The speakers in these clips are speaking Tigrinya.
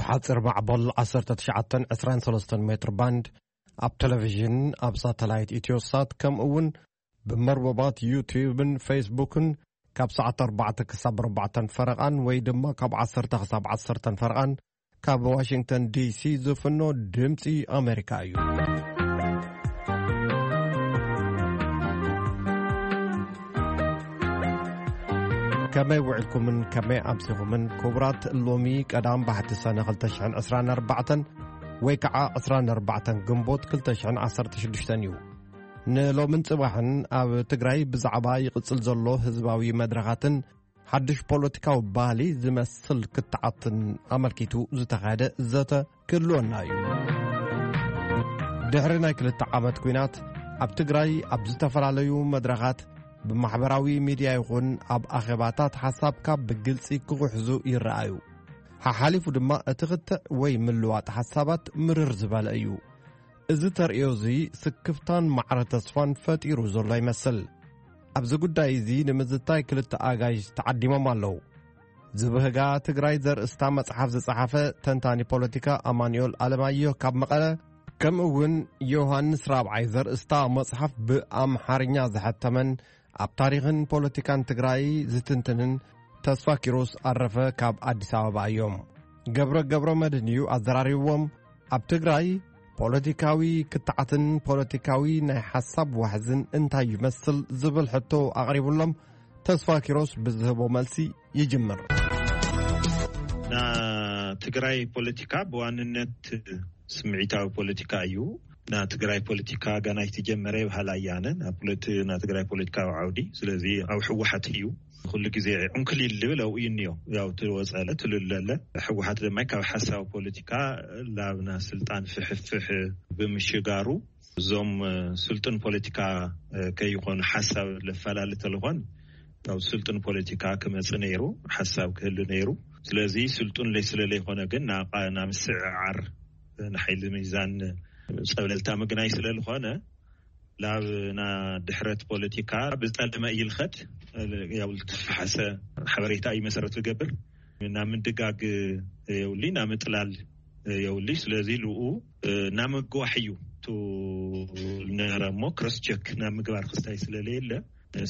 ሓፂር ማዕበል ዓሰርተ ትሽዓተ ዕስራን ሰለስተን ሜትር ባንድ፣ ኣብ ቴሌቪዥን፣ ኣብ ሳተላይት ኢትዮሳት፣ ከምኡ እውን ብመርበባት ዩቲዩብን ፌስቡክን ካብ ሰዓት ኣርባዕተ ክሳብ ኣርባዕተን ፈረቓን ወይ ድማ ካብ ዓሰርተ ክሳብ ዓሰርተን ፈረቓን ካብ ዋሽንግተን ዲሲ ዝፍኖ ድምፂ ኣሜሪካ እዩ። ከመይ ውዕልኩምን ከመይ ኣምሲኹምን ክቡራት፣ ሎሚ ቀዳም ባሕቲ ሰነ ክልተ ሽሕን ዕስራን ኣርባዕተን ወይ ከዓ ዕስራን ኣርባዕተን ግንቦት ክልተ ሽሕን ዓሰርተ ሽዱሽተን እዩ። ንሎምን ጽባሕን ኣብ ትግራይ ብዛዕባ ይቕጽል ዘሎ ህዝባዊ መድረኻትን ሓድሽ ፖለቲካዊ ባህሊ ዝመስል ክትዓትን ኣመልኪቱ ዝተኻየደ ዘተ ክህልወና እዩ። ድሕሪ ናይ ክልተ ዓመት ኲናት ኣብ ትግራይ ኣብ ዝተፈላለዩ መድረኻት ብማሕበራዊ ሚድያ ይኹን ኣብ ኣኼባታት ሓሳብካ ብግልጺ ክጉሕዙ ይረኣዩ። ሓሓሊፉ ድማ እቲ ክትዕ ወይ ምልዋጥ ሓሳባት ምርር ዝበለ እዩ። እዚ ተርእዮ እዚ ስክፍታን ማዕረ ተስፋን ፈጢሩ ዘሎ ይመስል። ኣብዚ ጉዳይ እዚ ንምዝታይ ክልተ ኣጋይሽ ተዓዲሞም ኣለዉ። ዝብህጋ ትግራይ ዘርእስታ መጽሓፍ ዝጸሓፈ ተንታኒ ፖለቲካ ኣማኑኤል ኣለማየሁ ካብ መቐለ፣ ከምኡ እውን ዮሃንስ ራብዓይ ዘርእስታ መጽሓፍ ብኣምሓርኛ ዝሐተመን ኣብ ታሪኽን ፖለቲካን ትግራይ ዝትንትንን ተስፋ ኪሮስ ኣረፈ ካብ ኣዲስ ኣበባ እዮም። ገብረ ገብረ መድህን እዩ ኣዘራሪብዎም። ኣብ ትግራይ ፖለቲካዊ ክትዓትን ፖለቲካዊ ናይ ሓሳብ ዋሕዝን እንታይ ይመስል ዝብል ሕቶ ኣቕሪቡሎም። ተስፋ ኪሮስ ብዝህቦ መልሲ ይጅምር። ና ትግራይ ፖለቲካ ብዋንነት ስምዒታዊ ፖለቲካ እዩ። ና ትግራይ ፖለቲካ ገና ኣይተጀመረ ይበሃል ኣያነ። ና ፖለቲ-፣ ና ትግራይ ፖለቲካዊ ዓውዲ፣ ስለዚ ኣብ ህወሓት እዩ ኩሉ ግዜ ዕንክሊል ልብል ኣብኡ እዩ እኒኦ። ያው ትወፀለ ትልለለ ህወሓት ድማ ካብ ሓሳብ ፖለቲካ ላብና ስልጣን ፍሕፍሕ ብምሽጋሩ እዞም ስልጡን ፖለቲካ ከይኾኑ ሓሳብ ለፈላለ ተልኾን ካብ ስልጡን ፖለቲካ ክመጽእ ነይሩ፣ ሓሳብ ክህሉ ነይሩ። ስለዚ ስልጡን ለይ-፣ ስለ ለይኾነ ግን ና-፣ ና ምስዕዓር ንሓይሊ ሚዛን ጸብለልታ ምግናይ ስለ ዝኾነ ላብ ና ድሕረት ፖለቲካ ብዝጠለመ ይልኸድ ያው ዝተፈሓሰ ሓበሬታ እዩ መሰረት ዝገብር። ና ምድጋግ የውሊ፣ ና ምጥላል የውሊ። ስለዚ ልኡ ና ምግዋሕ እዩ ቱ ነረ እሞ ክሮስ ቸክ ና ምግባር ክስታይ ስለለየለ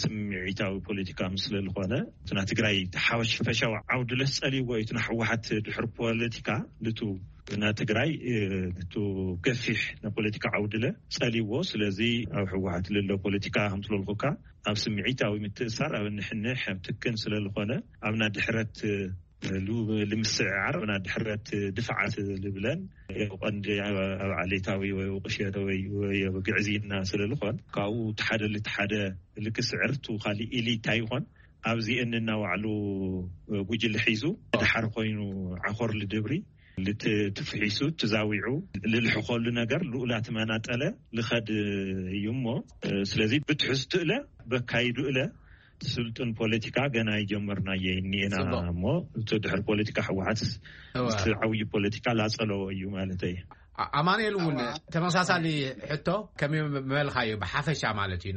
ስምዒታዊ ፖለቲካ ምስለ ዝኾነ እቲ ና ትግራይ ሓወሽ ፈሻዊ ዓውዲ ለስ ጸልይዎ እዩ። እቲ ና ህወሓት ድሕር ፖለቲካ ልቱ ና ትግራይ እ፣ ልቱ ገፊሕ ና ፖለቲካ ዓውዲ ለ ጸልይዎ። ስለዚ ኣብ ህወሓት ልሎ ፖለቲካ ከምትለልኩካ ኣብ ስምዒታዊ ምትእሳር ኣብ ንሕንሕ ኣብ ትክን ስለ ዝኾነ ኣብ ና ድሕረት እ፣ ሉ-፣ ልምስዕዓር ኣብ ና ድሕረት ድፍዓት ልብለን ያው ቀንዲ ኣብ፣ ኣብ ዓሌታዊ ወይ ቁሸተ ወይ፣ ወይ ኣብ ግዕዝይና ስለ ዝኾን ካብኡ እቲ ሓደ ልቲ ሓደ ልክስዕር ቱ ካሊእ ኢሊታ ይኾን ኣብዚ እንና ባዕሉ ጉጅለ ሒዙ ድሓር ኮይኑ ዓኾር ልድብሪ ልትፍሒሱ ትዛዊዑ ልልሕኸሉ ነገር ልኡላት መናጠለ ልኸድ እዩ እሞ ስለዚ ብትሕዝቱ እለ በካይዱ እለ ስልጡን ፖለቲካ ገና ይጀመርናየ እኒኤና እሞ እቲ ድሕር ፖለቲካ ህወሓት እወ። ምስቲ ዓብዪ ፖለቲካ ላጸለዎ እዩ ማለት እዩ። ኣ-፣ ኣማኑኤል እውን ተመሳሳሊ ሕቶ ከመይ መበልካዮ ብሓፈሻ ማለት እዩ።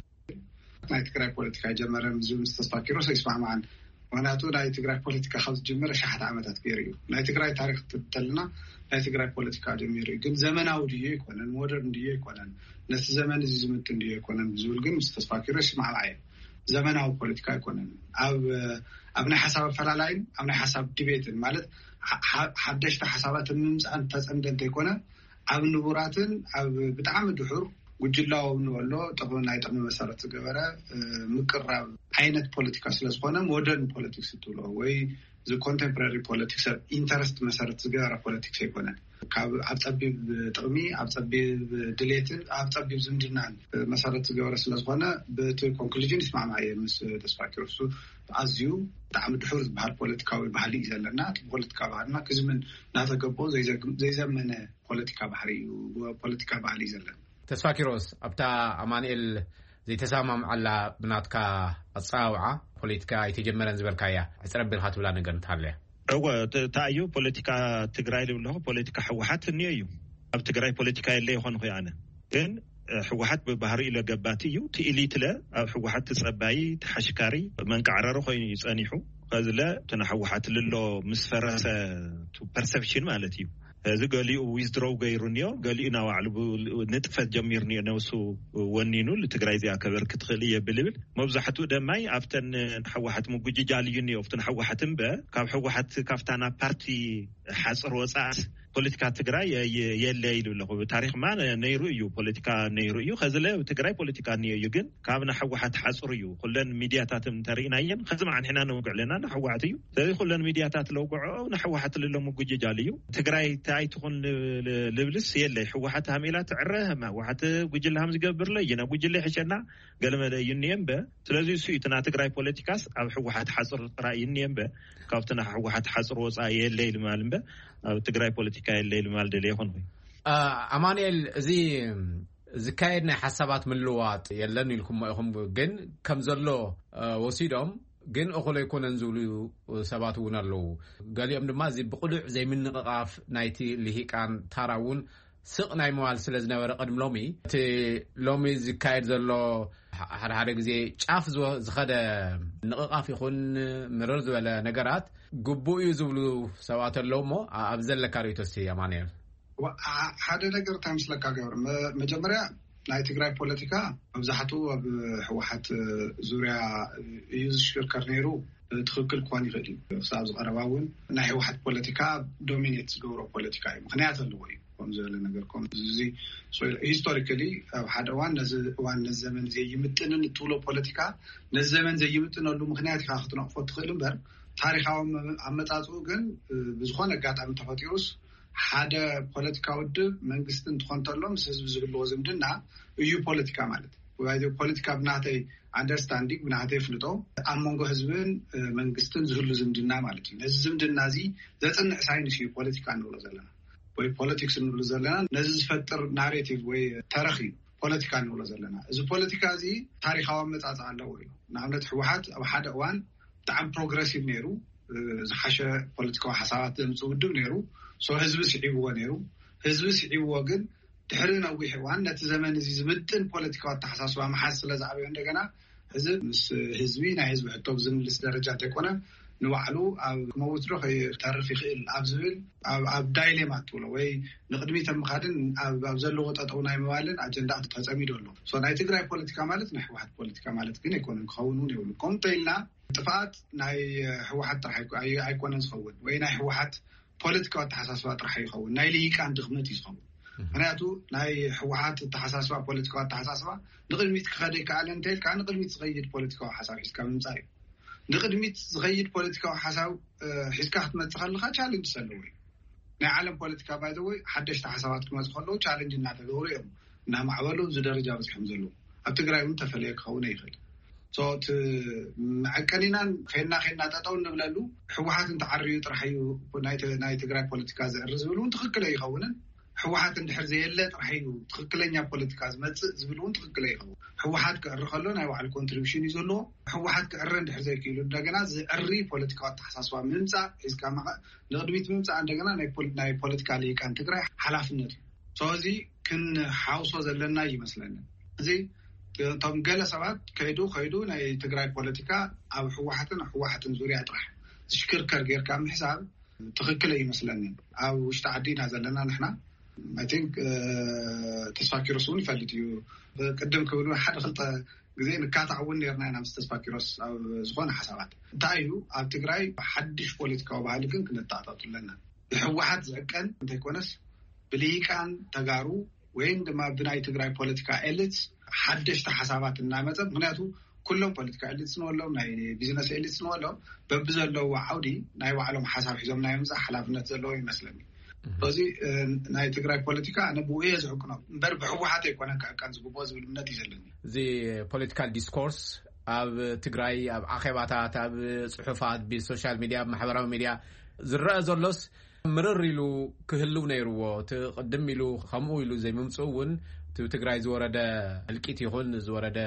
ናይ ትግራይ ፖለቲካ ይጀመረ ዝብል ምስ ተስፋ ኪሮስ ኣይስማማዓን። ምክንያቱ ናይ ትግራይ ፖለቲካ ካብ ዝጀመረ ሸሓት ዓመታት ገይሩ እዩ። ናይ ትግራይ ታሪክ ክትብል ተለና ናይ ትግራይ ፖለቲካ ጀሚሩ እዩ። ግን ዘመናዊ ድዩ ኣይኮነን፣ ሞደርን ድዩ ኣይኮነን፣ ነቲ ዘመን እዚ ዝምጥን ድዩ ኣይኮነን ዝብል ግን ምስ ተስፋ ኪሮስ ይስማማዕ እየ። ዘመናዊ ፖለቲካ ኣይኮነን። ኣብ ኣብ ናይ ሓሳብ ኣፈላላይን ኣብ ናይ ሓሳብ ዲቤትን ማለት ሓ-፣ ሓ-፣ ሓደሽቲ ሓሳባት ንምምፃእን ተፀምደ እንተይኮነ ኣብ ንቡራትን ኣብ ብጣዕሚ ድሑር ጉጅላዊ ንበሎ ጥቕሚ ናይ ጥቕሚ መሰረት ዝገበረ ምቅራብ ዓይነት ፖለቲካ ስለዝኾነ ሞደርን ፖለቲክስ ትብሎ ወይ እዚ ኮንቴምፖራሪ ፖለቲክስ ኢንተረስት መሰረት ዝገበረ ፖለቲክስ ኣይኮነን። ካብ ኣብ ፀቢብ ጥቕሚ ኣብ ፀቢብ ድሌትን ኣብ ፀቢብ ዝምድናን መሰረት ዝገበረ ስለዝኾነ ብቲ ኮንክሉዥን ይስማማ እየ ምስ ተስፋ ኪሮሱ። ኣዝዩ ብጣዕሚ ድሑር ዝበሃል ፖለቲካዊ ባህሊ እዩ ዘለና። እቲ ፖለቲካ ባህልና ክዝምን እናተገቦ ዘይዘግም-፣ ዘይዘመነ ፖለቲካ ባህሪ እዩ፣ ፖለቲካ ባህሊ እዩ ዘለና። ተስፋ ኪሮስ፣ ኣብታ ኣማኑኤል ዘይተሰማምዓላ ብናትካ ኣጸዋውዓ ፖለቲካ ኣይተጀመረን ዝበልካያ ዕጽረ ኣቢልካ ትብላ ነገር እንተሃለያ? እወ፣ ተ-፣ ተኣዩ ፖለቲካ ትግራይ ልብለኹ ፖለቲካ ህወሓት እኒኦ እዩ። ኣብ ትግራይ ፖለቲካ የለ ይኾንኹ ኣነ። ግን ህወሓት ብባህሪ ኢለ ገባቲ እዩ። ትኢሊትለ ኣብ ህወሓት ትጸባይ ተሓሽካሪ መንቃዕረሪ ኮይኑ እዩ ጸኒሑ። ከዝለ እቲ ንሕወሓት ልሎ ምስ ፈረሰ፣ ቱ ፐርሰፕሽን ማለት እዩ። እዚ ገሊኡ ዊዝድሮው ገይሩ እኒኦ፣ ገሊኡ ናባዕሉ ብ-፣ ንጥፈት ጀሚሩ እኒኦ፣ ነብሱ ወኒኑ ንትግራይ እዚኣ ከበርክት ትኽእል እየ ብልብል፣ መብዛሕትኡ ደማይ ኣብተን ንሕወሓት ምጉጅጃል እዩ እኒኦ። ኣብቲ ንሕወሓት እምበ ካብ ሕወሓት ካብታ ናብ ፓርቲ ሓፅር ወፃእስ ፖለቲካ ትግራይ የ-፣ የ-፣ የለ ኢሉ ኣለኹ። ብታሪኽማ ነ-፣ ነይሩ እዩ፣ ፖለቲካ ነይሩ እዩ። ከዚ ለ ትግራይ ፖለቲካ እኒኦ እዩ፣ ግን ካብ ንሕወሓት ሓፅሩ እዩ። ኩለን ሚድያታት እንተርኢናየን ከዚ መዓንሕና ነውግዕ ኣለና፣ ንሕወሓት እዩ። ስለዚ ኩለን ሚድያታት ለውግዖ ንሕወሓት ልሎ ምጉጅጃል እዩ። ትግራይ እንታይ ኣይትኹን ል-፣ ል-፣ ልብልስ የለ። ሕወሓት ሃሜላ ትዕረ፣ ሕወሓት ጉጅለ ሃም ዝገብር ለ፣ ይነ ጉጅለ ይሕሸና፣ ገለመለ እዩ እኒኤ እምበ። ስለዚ እሱ እዩ እቲ ናይ ትግራይ ፖለቲካስ ኣብ ሕወሓት ሓፅር ጥራይ እዩ እኒኤ እምበ፣ ካብቲ ናይ ሕወሓት ሓፅር ወፃኢ የለ ኢሉ ማል እምበ፣ ኣብ ትግራይ ፖለቲካ የለ ኢሉ ማል ደልየ ይኹን። አ፣ ኣማኑኤል፣ እዚ ዝካየድ ናይ ሓሳባት ምልዋጥ የለን ኢልኩሞ ኢኹም፣ ግን ከም ዘሎ፣ አ፣ ወሲዶም፣ ግን እኹል ኣይኮነን ዝብሉ ሰባት እውን ኣለዉ። ገሊኦም ድማ እዚ ብቕሉዕ ዘይምንቕቓፍ ናይቲ ልሂቃን ታራ እውን ስቕ ናይ ምባል ስለ ዝነበረ ቅድሚ ሎሚ፣ እቲ ሎሚ ዝካየድ ዘሎ ሓደ ሓደ ግዜ ጫፍ ዝወ-፣ ዝኸደ ንቕቓፍ ይኹን ምርር ዝበለ ነገራት ግቡእ እዩ ዝብሉ ሰባት ኣለዉ እሞ፣ ኣ-፣ ኣብ ዘለካ ርእይቶ እስቲ ኣማኑኤል። ዋ-፣ ኣ-፣ ሓደ ነገር እንታይ ምስለካ ገብረ፣ መ-፣ መጀመርያ ናይ ትግራይ ፖለቲካ መብዛሕትኡ ኣብ ህወሓት ዙርያ እዩ ዝሽክርከር ነይሩ። ትኽክል ክኾን ይኽእል እዩ። ክሳብ ዝቐረባ እውን ናይ ህወሓት ፖለቲካ ዶሚኔት ዝገብሮ ፖለቲካ እዩ። ምኽንያት ኣለዎ እዩ። ከም ዝበለ ነገር ከም እዚ ሶ-፣ ሂስቶሪካሊ ኣብ ሓደ እዋን ነዚ እዋን ነዚ ዘመን ዘይምጥንን እትብሎ ፖለቲካ ነዚ ዘመን ዘይምጥነሉ ምኽንያት ኢኻ ክትነቕፎ ትኽእል እምበር ታሪኻዊ ኣመ-፣ ኣመጻጽኡ ግን፣ እ፣ ብዝኾነ ኣጋጣሚ ተፈጢሩስ ሓደ ፖለቲካ ውድብ መንግስቲ እንትኾን ተሎ ምስ ህዝቢ ዝህልዎ ዝምድና እዩ ፖለቲካ ማለት። ወይ ፖለቲካ ብናተይ ኣንደርስታንዲንግ፣ ብናተይ ፍልጦ ኣብ መንጎ ህዝብን፣ እ፣ መንግስትን ዝህሉ ዝምድና ማለት እዩ። ነዚ ዝምድና እዚ ዘጽንዕ ሳይንስ እዩ ፖለቲካ እንብሎ ዘለና ወይ ፖለቲክስ እንብሎ ዘለና። ነዚ ዝፈጥር ናሬቲቭ ወይ ተረኽ እዩ ፖለቲካ እንብሎ ዘለና። እዚ ፖለቲካ እዚ ታሪኻዊ ኣመጻጽኣ ኣለዎ እዩ። ንኣብነት ህወሓት ኣብ ሓደ እዋን ብጣዕሚ ፕሮግረሲቭ ነይሩ፣ እ፣ ዝሓሸ ፖለቲካዊ ሓሳባት ዘምጽእ ውድብ ነይሩ። ሶ ህዝቢ ስዒብዎ ነይሩ። ህዝቢ ስዒብዎ ግን ድሕሪ ነዊሕ እዋን ነቲ ዘመን እዚ ዝምጥን ፖለቲካዊ ኣተሓሳስባ ምሓዝ ስለ ዝኣበዮ እንደገና እዚ ምስ ህዝቢ ናይ ህዝቢ ሕቶ ብዝምልስ ደረጃ እንተይኮነ ንባዕሉ ኣብ ክመውት ዶ ከይተርፍ ይኽእል ኣብ ዝብል ኣብ፣ ኣብ ዳይሌማ ትብሎ ወይ ንቕድሚት ኣብ ምኻድን ኣብ፣ ኣብ ዘለዎ ጠጠው ናይ ምባልን ኣጀንዳ ተጸሚዱ ኣሎ። ሶ ናይ ትግራይ ፖለቲካ ማለት ናይ ህወሓት ፖለቲካ ማለት ግን ኣይኮነን፣ ክኸውን እውን የብሉ። ከምኡ እንተኢልና ጥፍኣት ናይ ህወሓት ጥራሕ ኣይኮ-፣ ኣይ-፣ ኣይኮነን ዝኸውን ወይ ናይ ህወሓት ፖለቲካዊ ኣተሓሳስባ ጥራሕ ይኸውን፣ ናይ ልሂቃን ድኽመት እዩ ዝኸውን። ምኽንያቱ ናይ ህወሓት ኣተሓሳስባ፣ ፖለቲካዊ ኣተሓሳስባ ንቕድሚት ክኸደ ይከኣለ እንተይልካ ንቕድሚት ዝኸይድ ፖለቲካዊ ሓሳብ ሒዝካ ምምፃእ እዩ። ንቕድሚት ዝኸይድ ፖለቲካዊ ሓሳብ፣ እ፣ ሒዝካ ክትመፅእ ከለኻ ቻለንጅ ዘለዎ እዩ። ናይ ዓለም ፖለቲካ ባይዘወይ ሓደሽቲ ሓሳባት ክመፁ ከለዉ ቻለንጅ እናተገብሩ እዮም እናማዕበሉ ኣብዚ ደረጃ በፂሖም ዘለዉ። ኣብ ትግራይ እውን ተፈለየ ክኸውን ይኽእል። ሶ እቲ መዐቀኒናን ኬና ኬና ጠጠው እንብለሉ ህወሓት እንተዓርዩ ጥራሕ እዩ ናይ ተ-፣ ናይ ትግራይ ፖለቲካ ዝዕሪ ዝብል እውን ትኽክል ኣይኸውንን። ህወሓት እንድሕር ዘየለ ጥራሕ እዩ ትኽክለኛ ፖለቲካ ዝመፅእ ዝብል እውን ትኽክል ኣይኸውን። ህወሓት ክዕሪ ከሎ ናይ ባዕሉ ኮንትሪቢሽን እዩ ዘለዎ። ህወሓት ክዕረ እንድሕር ዘይክኢሉ እንደገና ዝዕሪ ፖለቲካዊ ኣተሓሳስባ ምምፃእ ሒዝካ መቐ-፣ ንቕድሚት ምምፃእ እንደገና ናይ ፖል-፣ ናይ ፖለቲካ ልሂቃን ትግራይ ሓላፍነት እዩ። ስለዚ ክንሓውሶ ዘለና ይመስለኒ። እዚ እቶም ገለ ሰባት ከይዱ ከይዱ ናይ ትግራይ ፖለቲካ ኣብ ህወሓትን ህወሓትን ዙርያ ጥራሕ ዝሽክርከር ጌርካ ምሕሳብ ትኽክል ኣይመስለንን። ኣብ ውሽጢ ዓዲ ኢና ዘለና ንሕና። ኣይ ቲንክ፣ እ፣ ተስፋ ኪሮስ እውን ይፈልጥ እዩ። ቅድም ክብል እውን ሓደ ክልተ ግዜ ንካታዕ እውን ነርና ኢና ምስ ተስፋ ኪሮስ ኣብ ዝኾነ ሓሳባት። እንታይ እዩ ኣብ ትግራይ ሓድሽ ፖለቲካዊ ባህሊ ግን ክነተኣታቱ ኣለና። ብህወሓት ዝዕቀን እንተይኮነስ ብልሂቃን ተጋሩ ወይም ድማ ብናይ ትግራይ ፖለቲካ ኤሊትስ ሓደሽቲ ሓሳባት እናመፀ፣ ምክንያቱ ኩሎም ፖለቲካ ኤሊትስ ንበሎም ናይ ቢዝነስ ኤሊትስ ንበሎም በብዘለዎ ዓውዲ ናይ ባዕሎም ሓሳብ ሒዞም ናይ ምምፃእ ሓላፍነት ዘለዎ ይመስለኒ። ስለዚ፣ እ፣ ናይ ትግራይ ፖለቲካ ኣነ ብኡ እየ ዝዕቅኖ እምበር ብህወሓት ኣይኮነን ክዕቀን ዝግብኦ ዝብል እምነት እዩ ዘለኒ። እዚ ፖለቲካል ዲስኮርስ ኣብ ትግራይ ኣብ ኣኼባታት፣ ኣብ ፅሑፋት፣ ብሶሻል ሚድያ፣ ኣብ ማሕበራዊ ሚድያ ዝረአ ዘሎስ ምርር ኢሉ ክህልው ነይርዎ። እቲ ቅድም ኢሉ ከምኡ ኢሉ ዘይምምፅኡ እውን እቲ ትግራይ ዝወረደ እልቂት ይኹን ዝወረደ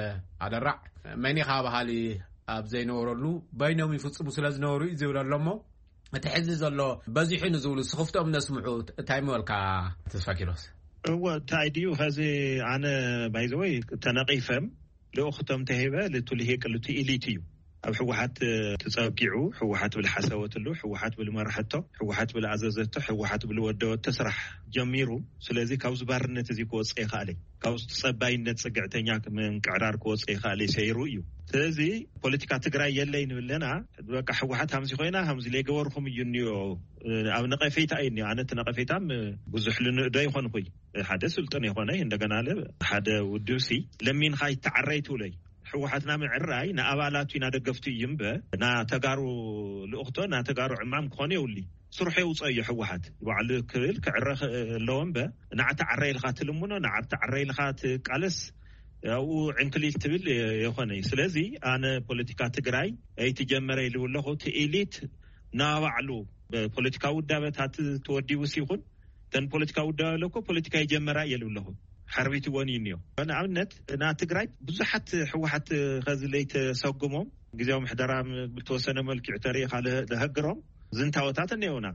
ኣደራዕ መኒኻ በሃሊ ኣብ ዘይነበረሉ በይኖም ይፍፅሙ ስለ ዝነበሩ እዩ ዝብል ኣሎ እሞ፣ እቲ ሕዚ ዘሎ በዚሑ ንዝብሉ ስኽፍቶም ነስምዑ እንታይ ምበልካ ተስፋ ኪሮስ? እወ፣ እንታይ ድዩ ኸዚ ኣነ ባይዘወይ ተነቒፈም ልኡኽቶም ተሂበ ልቱ ልሂቅ ልቱ ኢሊት እዩ። ኣብ ህወሓት ተጸጊዑ፣ ህወሓት ብልሓሰበትሉ፣ ህወሓት ብልመርሐቶ፣ ህወሓት ብልኣዘዘቶ፣ ህወሓት ብልወደወቶ ስራሕ ጀሚሩ። ስለዚ ካብዚ ባርነት እዚ ክወፅእ ይኽኣል እዩ። ካብዚ ተጸባይነት ጽግዕተኛ ምንቅዕራር ክወፅእ ይኽኣል እዩ፣ ሰይሩ እዩ። ስለዚ ፖለቲካ ትግራይ የለይ ንብለና፣ በቃ ህወሓት ሃምዚ ኮይና፣ ሃምዚ ለይገበርኩም እዩ እኒኦ። ኣብ ነቐፌታ እዩ እኒኦ። ኣነ እቲ ነቐፌታም ብዙሕ ልንእዶ ይኾንኩይ። ሓደ ስልጡን የኾነ፣ እንደገና ለ ሓደ ውድብሲ ለሚንኻ ይተዓረይ ትብለይ። ህወሓትና ምዕራይ ንኣባላቱ ኢና ደገፍቱ እዩ እምበ፣ ና ተጋሩ ልእኽቶ፣ ና ተጋሩ ዕማም ክኾን የውሊ። ስርሑ የውፅኦ እዩ ህወሓት። ባዕሉ ክብል ክዕረ ክእ-፣ ኣለዎ እምበ፣ ንዓ ተዓረይ ኢልካ ትልምኖ፣ ንዓ ተዓረይ ኢልካ ትቃለስ፣ ኣብኡ ዕንክሊል ትብል የ-፣ የኾነ እዩ። ስለዚ ኣነ ፖለቲካ ትግራይ ኣይትጀመረ ኢሉ ኣለኹ። እቲ ኢሊት ናባዕሉ ብፖለቲካዊ ውዳበታት ተወዲቡስ ይኹን፣ እተን ፖለቲካዊ ውዳበ ኣለኮ ፖለቲካ ይጀመራ እየ ልብለኹ። ሓርቢትዎን እዩ እኒኦ። ንኣብነት፣ ና ትግራይ ብዙሓት ህወሓት ኸዚ ለይተሰጉሞም ግዜያዊ ምሕደራ ም-፣ ብተወሰነ መልክዕ ተሪኢኻ ለ-፣ ለሀግሮም ዝንታወታት እኒኦና።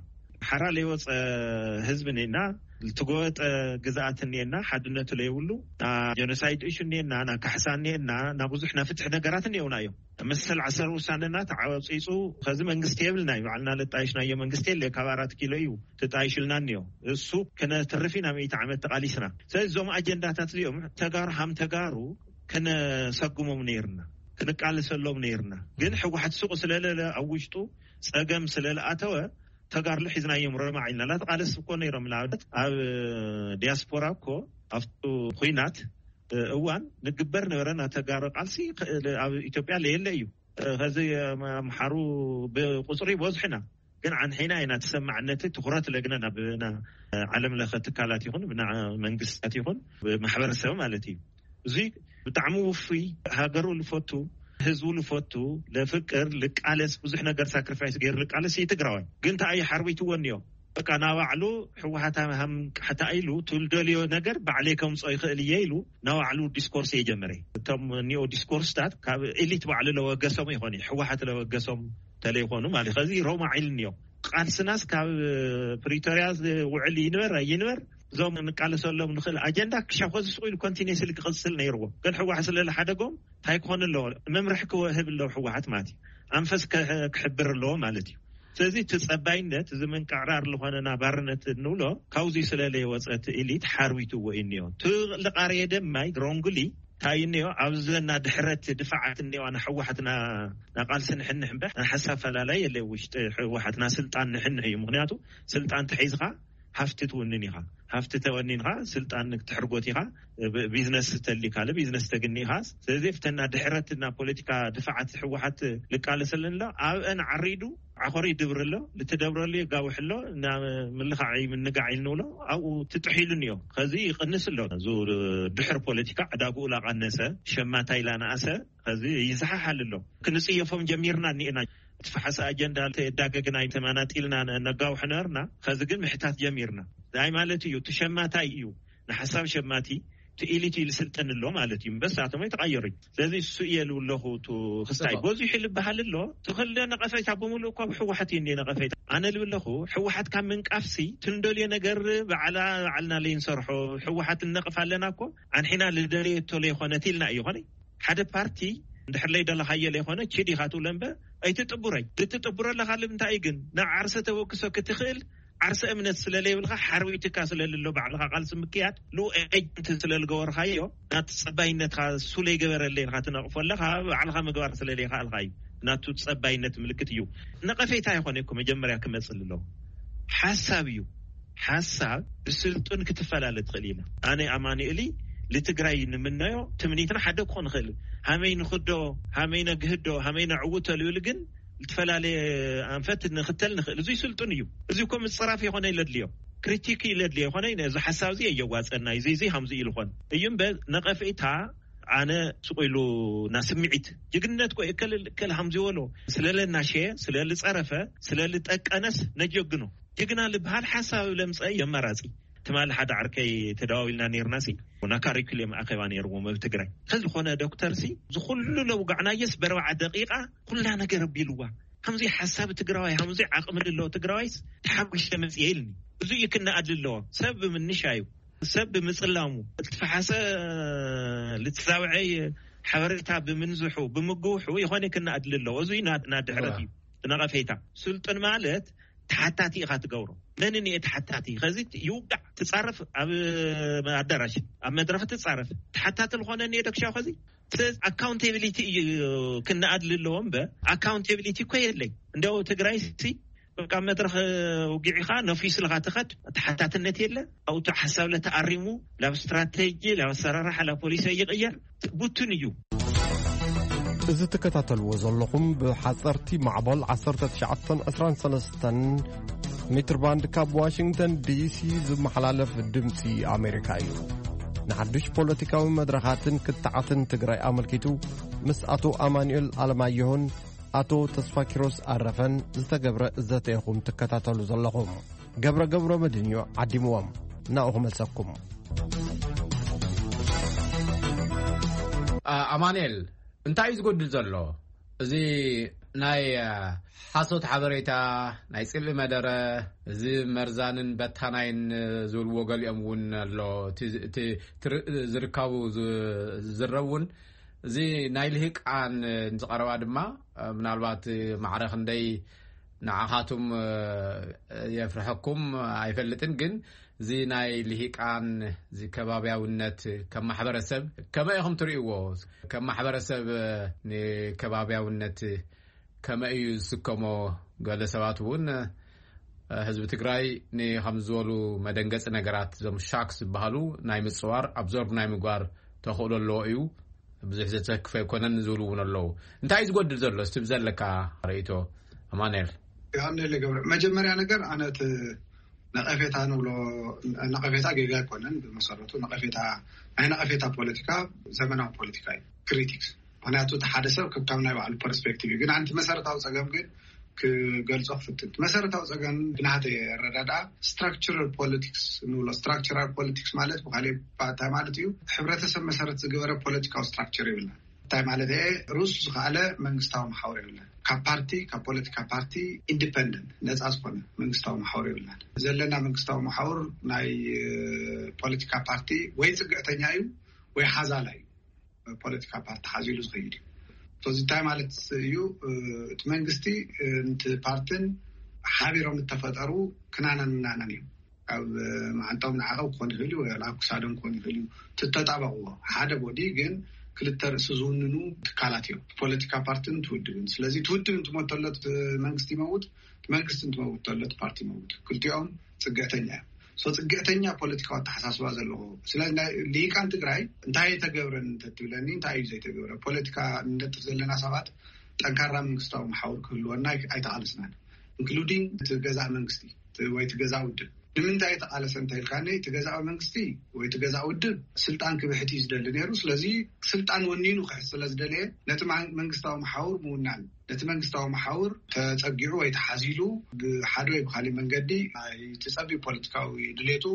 ሓራ ለይወፀ ህዝቢ እኒኤና፣ ልትጎበጠ ግዝኣት እኒኤና፣ ሓድነቱ ለይብሉ፣ ና ጀኖሳይድ እሹ እኒኤና፣ ና ካሕሳ እኒኤና፣ ና ብዙሕ ና ፍትሒ ነገራት እኒኦና እዮም። መሰል ዓሰር ውሳነና ተዓወፂፁ። ኸዚ መንግስቲ የብልና እዩ፣ ባዕልና ለጣይሽናዮ መንግስቲ የለ፣ ካብ ኣራት ኪሎ እዩ ተጣይሽልና እኒኦ። እሱ ከነትርፍ ኢና ሚእቲ ዓመት ተቓሊስና። ስለዚ እዞም ኣጀንዳታት እዚኦም ተጋሩ ሃም ተጋሩ ከነሰጉሞም ነይርና፣ ክንቃለሰሎም ነይርና። ግን ህወሓት ሱቕ ስለለለ ኣብ ውሽጡ ጸገም ስለለኣተወ ተጋርሎ ሒዝናዮም ረማዕ ኢልና። ላተቃለስ እኮ ነይሮም። ንኣብነት ኣብ ዲያስፖራ እኮ ኣብቱ ኹናት እዋን ንግበር ነበረ። ናተጋሩ ቃልሲ ኣብ ኢትዮጵያ ለየለ እዩ። ከዚ ኣምሓሩ ብቁፅሪ ይበዝሑና፣ ግን ዓንሒና ኢና ተሰማዕነት ትኹረት ለግነ ናብ ና ዓለም ለኸ ትካላት ይኹን ብና መንግስታት ይኹን ብማሕበረሰብ ማለት እዩ። እዚ ብጣዕሚ ውፉይ፣ ሃገሩ ልፈቱ፣ ህዝቡ ልፈቱ፣ ለፍቅር፣ ልቃለስ፣ ብዙሕ ነገር ሳክሪፋይስ ገይሩ ልቃለስ እዩ ትግራዋይ። ግን እንታይ እዩ ሓርቢትዎ እኒኦ? በቃ ናባዕሉ ህወሓት ሃም ቃሕታ ኢሉ ትልደልዮ ነገር ባዕለይ ከምፅኦ ይኽእል እየ ኢሉ ናባዕሉ ዲስኮርስ እየ ጀመረ። እቶም ኒኦ ዲስኮርስታት ካብ ኤሊት ባዕሉ ለወገሶም ይኾኑ፣ ህወሓት ለወገሶም ተለይኾኑ ማለት እዩ። ከዚ ሮማ ዒል እኒኦ። ቃልስናስ ካብ ፕሪቶርያ ውዕል ይንበር ኣይንበር፣ እዞም ንቃለሰሎም ንኽእል ኣጀንዳ ክሻብ ከዚ ስቕ ኢሉ ኮንቲኒየስሊ ክቕፅል ነይርዎ። ግን ህወሓት ስለ ዝሓደጎም እንታይ ክኾን ኣለዎ? መምርሒ ክወህብ ኣለዎ ህወሓት ማለት እዩ። ኣንፈስ ከ-፣ ክሕብር ኣለዎ ማለት እዩ። ስለዚ እቲ ጸባይነት፣ እዚ ምንቅዕራር ዝኾነና ባርነት እንብሎ ካብዚ ስለ ለይወጸ እቲ ኢሊት ሓርቢትዎ እዩ እኒኦ። እቲ ልቓርየ ደማይ ሮንግሊ እንታይ እኒኦ? ኣብዚ ዘና ድሕረት ድፋዓት እኒኦ፣ ንህወሓትና ናቃልሲ ንሕንሕ እምበር ንሓሳብ ፈላላይ የለ። ውሽጢ ህወሓትና ስልጣን ንሕንሕ እዩ። ምኽንያቱ ስልጣን ተሒዝኻ ሃፍቲ ትውንን ኢኻ። ሃፍቲ ተወኒንኻ ስልጣን ክትሕርጎት ኢኻ። ብ-፣ ቢዝነስ ተሊካ ለ ቢዝነስ ተግኒ ኢኻ። ስለዚ ፍተና ድሕረት እና ፖለቲካ ድፋዓት ህወሓት ልቃለሰለን ኣሎ። ኣብአን ዓሪዱ ዓኾሪ ይድብር ኣሎ። ልትደብረሉ የጋውሕ ኣሎ። እና ምልኻዕ ምንጋዕ ኢልንብሎ ኣብኡ ትጥሒሉን እዮ። ከዚ ይቕንስ ኣሎ። እዚ ድሕር ፖለቲካ ዕዳግኡ ላቐነሰ፣ ሸማታይ ላነኣሰ፣ ከዚ ይዝሓሓል ኣሎ። ክንጽየፎም ጀሚርና እኒኤና። እቲ ፈሓሲ ኣጀንዳ ተዳገግና ተመናጢልና ነ-፣ ነጋውሕ ነበርና። ከዚ ግን ምሕታት ጀሚርና። እንታይ ማለት እዩ? እቲ ሸማታይ እዩ። ንሓሳብ ሸማቲ፣ እቲ ኢሊት እዩ ዝስልጥን ኣሎ ማለት እዩ። እምበስ ኣቶም ኣይተቐየሩኝ። ስለዚ እሱ እየ ልብለኹ፣ እቱ ክስታይ ተባ- በዚሑ ልበሃል ኣሎ። እቲ ክልደ ነቐፌታ ብምሉእ እኮ ኣብ ህወሓት እዩ እንደ ነቐፌታ። ኣነ ልብለኹ፣ ህወሓት ካብ ምንቃፍሲ፣ ትንደልዮ ነገር ባዕላ፣ ባዕልና ለይንሰርሖ፣ ህወሓት ንነቕፍ ኣለና እኮ፣ ኣንሒና ልደለየቶ ለይኾነት ኢልና እዩ ኾነ። ሓደ ፓርቲ እንድሕር ለይደለኻዮ ለይኾነ፣ ቺድ ኢኻ ትብሎ እምበር፣ ኣይትጥቡረይ። ልትጥቡረ ኣለኻ ልምንታይ እዩ ግን? ናብ ዓርሰ ተበክሶ ክትኽእል፣ ዓርሰ እምነት ስለ ለይብልካ፣ ሓርቢትካ ስለ ልሎ፣ ባዕልኻ ቃልሲ ምክያድ፣ ልኡ ኤጀንት ስለ ልገበርካዮ፣ ናቲ ጸባይነትካ እሱ ለይገበረለይ ኢልካ ትነቕፎ ኣለኻ፣ ባዕልኻ ምግባር ስለ ለይኸኣልካ እዩ። ናቱ ጸባይነት ምልክት እዩ። ነቐፌታ ይኾነ እኮ መጀመርያ ክመጽእ ኣለዎ። ሓሳብ እዩ። ሓሳብ ብስልጡን ክትፈላለ ትኽእል ኢና። ኣነ ኣማኑኤሊ ልትግራይ ንምነዮ ትምኒትና ሓደ ክኾን ይኽእል። ሃመይ ንኽዶ፣ ሃመይ ነግህዶ፣ ሃመይ ነዕውቶ ልብል ግን ልትፈላለየ ኣንፈት ንኽተል ንኽእል። እዙይ ስልጡን እዩ። እዚ እኮ ምፅራፍ ይኾነ ይለድልዮ። ክሪቲክ ይለድልዮ ይኾነ፣ እዚ ሓሳብ እዚ የዋፀና እዩ፣ እዚ፣ እዚ ሃምዚ ኢሉ ኾን እዩ እምበር ነቐፌታ ኣነ ስቕ ኢሉ ና ስምዒት ጅግንነት ኮ እከል፣ እከል ሃምዚ ወሎ ስለ ለናሸየ፣ ስለ ልፀረፈ፣ ስለ ልጠቀነስ ነጀግኖ። ጅግና ልበሃል ሓሳብ ለምፀ የመራፂ። ትማሊ ሓደ ዓርከይ ተደዋዊልና ነይርና ሲ፣ ና ካሪኩለም ኣኼባ ነይርዎም ኣብ ትግራይ። ከዝኾነ ዶክተር ሲ፣ ዝኹሉ ለውጋዕናየስ በርባዓ ደቂቓ ኩላ ነገር ኣቢልዋ። ከምዚ ሓሳብ ትግራዋይ፣ ከምዚ ዓቕሚ ዘለዎ ትግራዋይስ ተሓጒሰ መፅየ ኢልኒ። እዚ እዩ ክነኣድ ኣለዎ። ሰብ ብምንሻዩ፣ ሰብ ብምፅላሙ፣ ልትፈሓሰ ልትዛውዐ ሓበሬታ ብምንዝሑ ብምግውሑ ይኾነ ክነኣድሊ ኣለዎ። እዙይ ና- ናድሕረት እዩ። ነቐፌታ ስልጡን ማለት ተሓታቲ ኢኻ ትገብሮ። መን እየ ተሓታቲ? ከዚ ይውጋዕ ትጻረፍ፣ ኣብ ኣዳራሽ ኣብ መድረኽ ትጻረፍ፣ ተሓታቲ ዝኾነ እየ ደክሻው ከዚ ኣካውንቴቢሊቲ እዩ ክነኣድሊ ኣለዎ እምበር ኣካውንቴቢሊቲ እኮ የለይ። እንዲያው ትግራይ ሲ በቃ መድረኽ ውግዒኻ ነፊስልኻ ትኸድ፣ ተሓታትነት የለ። ኣብቱ ሓሳብ ለተኣሪሙ ላብ ስትራቴጂ ላብ ኣሰራርሓ ላብ ፖሊሲ ይቕየር ብቱን እዩ። እዚ ትከታተልዎ ዘለኹም ብሓፀርቲ ማዕበል ዓሰርተ ትሽዓተ ዕስራን ሰለስተን ሜትር ባንድ ካብ ዋሽንግተን ዲሲ ዝመሓላለፍ ድምፂ ኣሜሪካ እዩ። ንሓዱሽ ፖለቲካዊ መድረኻትን ክትዓትን ትግራይ ኣመልኪቱ ምስ ኣቶ ኣማኑኤል ኣለማየሁን ኣቶ ተስፋኪሮስ ኣረፈን ዝተገብረ ዘተ ኢኹም ትከታተሉ ዘለኹም። ገብረ ገብረ መድን እዩ ዓዲምዎም። ናኡ ክመልሰኩም። ኣማኑኤል፣ እንታይ እዩ ዝጎድል ዘሎ? እዚ ናይ ሓሶት ሓበሬታ፣ ናይ ጽልኢ መደረ፣ እዚ መርዛንን በታናይን ዝብልዎ ገሊኦም እውን ኣሎ። እቲ ዝርካቡ ዝረብ እውን እዚ ናይ ልሂቃን ዝቐረባ ድማ ምናልባት ማዕረ ክንደይ ንዓኻቱም የፍርሐኩም ኣይፈልጥን፣ ግን እዚ ናይ ልሂቃን እዚ ከባብያውነት ከም ማሕበረሰብ ከመይ ኢኹም ትርእይዎ? ከም ማሕበረሰብ ንከባብያውነት ከመይ እዩ ዝስከሞ? ገለ ሰባት እውን ህዝቢ ትግራይ ንከም ዝበሉ መደንገፂ ነገራት፣ እዞም ሻክ ዝበሃሉ ናይ ምፅዋር ኣብዞርብ ናይ ምግባር ተኽእሎ ኣለዎ እዩ። ብዙሕ ዘተክፈ ኣይኮነን ዝብሉ እውን ኣለዉ። እንታይ እዩ ዝጎድል ዘሎ? እስቲ ብዘለካ ርእይቶ ኣማኑኤል። ዮሃንስ ገብረ፣ መጀመርያ ነገር ኣነ እቲ ነቐፌታ ንብሎ ነቐፌታ ጌጋ ኣይኮነን። ብመሰረቱ ነቐፌታ ናይ ነቐፌታ ፖለቲካ ዘመናዊ ፖለቲካ እዩ፣ ክሪቲክስ። ምክንያቱ እቲ ሓደ ሰብ ከካብ ናይ ባዕሉ ፐርስፔክቲቭ እዩ። ግን ኣንቲ መሰረታዊ ፀገም ግን ክገልጾ ክፍትን። እቲ መሰረታዊ ፀገም ብናተይ ኣረዳድኣ ስትራክቸራል ፖለቲክስ ንብሎ። ስትራክቸራል ፖለቲክስ ማለት ብካሊእ እንታይ ማለት እዩ? ሕብረተሰብ መሰረት ዝገበረ ፖለቲካዊ ስትራክቸር ይብልና። እንታይ ማለት እየ? ርእሱ ዝኸኣለ መንግስታዊ መሓውር የብልና። ካብ ፓርቲ ካብ ፖለቲካ ፓርቲ ኢንዲፐንደንት ነፃ ዝኾነ መንግስታዊ መሓውር የብልና። ዘለና መንግስታዊ መሓውር ናይ ፖለቲካ ፓርቲ ወይ ፅግዕተኛ እዩ ወይ ሓዛላ እዩ። ፖለቲካ ፓርቲ ሓዚሉ ዝኸይድ እዩ። እዚ እንታይ ማለት እዩ? እቲ መንግስቲ ንቲ ፓርትን ሓቢሮም እተፈጠሩ ክናናን ምናናን እዮም። ካብ መዓንጣኦም ንዓቐብ ክኾን ይኽእል እዩ፣ ኣብ ክሳዶም ክኾን ይኽእል እዩ። ትተጣበቕዎ ሓደ ቦዲ ግን ክልተ ርእሲ ዝውንኑ ትካላት እዮም፣ ፖለቲካ ፓርትን ትውድብን። ስለዚ ትውድብ እንትሞት ተሎ መንግስቲ ይመውት፣ መንግስቲ እንትመውት ተሎ ፓርቲ ይመውት። ክልቲኦም ፅግዕተኛ እዮም። ሶ ፅግዕተኛ ፖለቲካዊ ኣተሓሳስባ ዘለዎ። ስለዚ ናይ ሊቃን ትግራይ እንታይ ኣይተገብረን እንተትብለኒ እንታይ እዩ ዘይተገብረ? ፖለቲካ ንነጥፍ ዘለና ሰባት ጠንካራ መንግስታዊ መሓውር ክህልወና ኣይተቓለስናን። ኢንክሉዲንግ እቲ ገዛእ መንግስቲ ወይ እቲ ገዛእ ውድብ። ንምንታይ ተቓለሰ እንተኢልካኒ እቲ ገዛእ መንግስቲ ወይ እቲ ገዛእ ውድብ ስልጣን ክብሕት እዩ ዝደሊ ነይሩ። ስለዚ ስልጣን ወኒኑ ክሕት ስለ ዝደለየ ነቲ መንግስታዊ መሓውር ምውናን ነቲ መንግስታዊ መሓውር ተፀጊዑ ወይ ተሓዚሉ ብሓደ ወይ ብካሊእ መንገዲ ናይቲ ፀቢብ ፖለቲካዊ ድሌቱ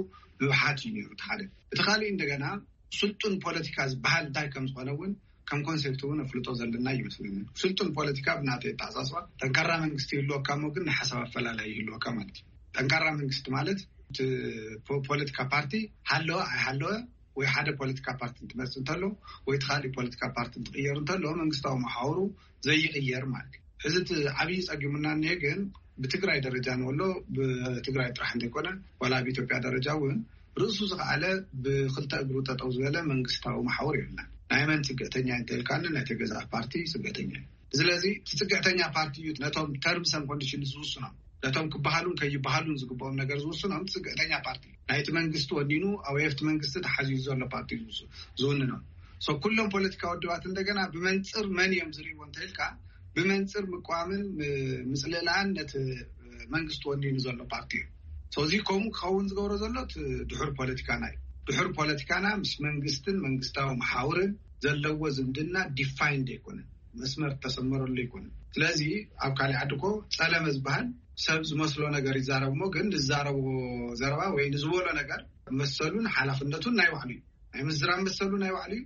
ምብሓት እዩ ነይሩ። እቲ ሓደ። እቲ ካሊእ እንደገና ስልጡን ፖለቲካ ዝበሃል እንታይ ከም ዝኾነ እውን ከም ኮንሴፕት እውን ኣፍልጦ ዘለና ይመስለኒ። ስልጡን ፖለቲካ ብናተይ ኣተሓሳስባ ጠንካራ መንግስቲ ይህልወካ እሞ ግን ናይ ሓሳብ ኣፈላላይ ይህልወካ ማለት እዩ። ጠንካራ መንግስቲ ማለት እቲ ፖለቲካ ፓርቲ ሃለወ ኣይሃለወ ወይ ሓደ ፖለቲካ ፓርቲ እንትመፅእ እንተሎ ወይ እቲ ካሊእ ፖለቲካ ፓርቲ እንትቕየር እንተሎ መንግስታዊ መሓውሩ ዘይቕየር ማለት እዩ። ሕዚ እቲ ዓብዪ ፀጊሙና እኒሀ ግን ብትግራይ ደረጃ ንበሎ ብትግራይ ጥራሕ እንተይኮነ ዋላ ኣብ ኢትዮጵያ ደረጃ እውን ርእሱ ዝኸኣለ ብክልተ እግሩ ጠጠው ዝበለ መንግስታዊ መሓውር የብልናን። ናይ መን ፅግዕተኛ እንተልካኒ ናይ ተገዛእ ፓርቲ ፅግዕተኛ እዩ። ስለዚ እቲ ፅግዕተኛ ፓርቲ እዩ ነቶም ተርምስ ን ኮንዲሽን ዝውስኖም ነቶም ክበሃሉን ከይበሃሉን ዝግብኦም ነገር ዝውስኖም እቲ ፅግዕተኛ ፓርቲ ናይቲ መንግስቲ ወኒኑ ኣብ የፍቲ መንግስቲ ተሓዚዙ ዘሎ ፓርቲ ዝውንኖም። ሶ ኩሎም ፖለቲካ ውድባት እንደገና ብመንፅር መን እዮም ዝርእይዎ እንተልካ ብመንፅር ምቋምን ምፅልእላን ነቲ መንግስቲ ወኒኑ ዘሎ ፓርቲ እዩ። እዚ ከምኡ ክኸውን ዝገብሮ ዘሎ ድሑር ፖለቲካና እዩ። ድሑር ፖለቲካና ምስ መንግስትን መንግስታዊ መሓውርን ዘለዎ ዝምድና ዲፋይንድ ኣይኮነን፣ መስመር ተሰመረሉ ኣይኮነን። ስለዚ ኣብ ካሊእ ዓዲ እኮ ፀለመ ዝበሃል ሰብ ዝመስሎ ነገር ይዛረብ እሞ ግን ንዛረቦ ዘረባ ወይ ንዝበሎ ነገር መሰሉን ሓላፍነቱን ናይ ባዕሉ እዩ። ናይ ምዝራብ መሰሉ ናይ ባዕሉ እዩ።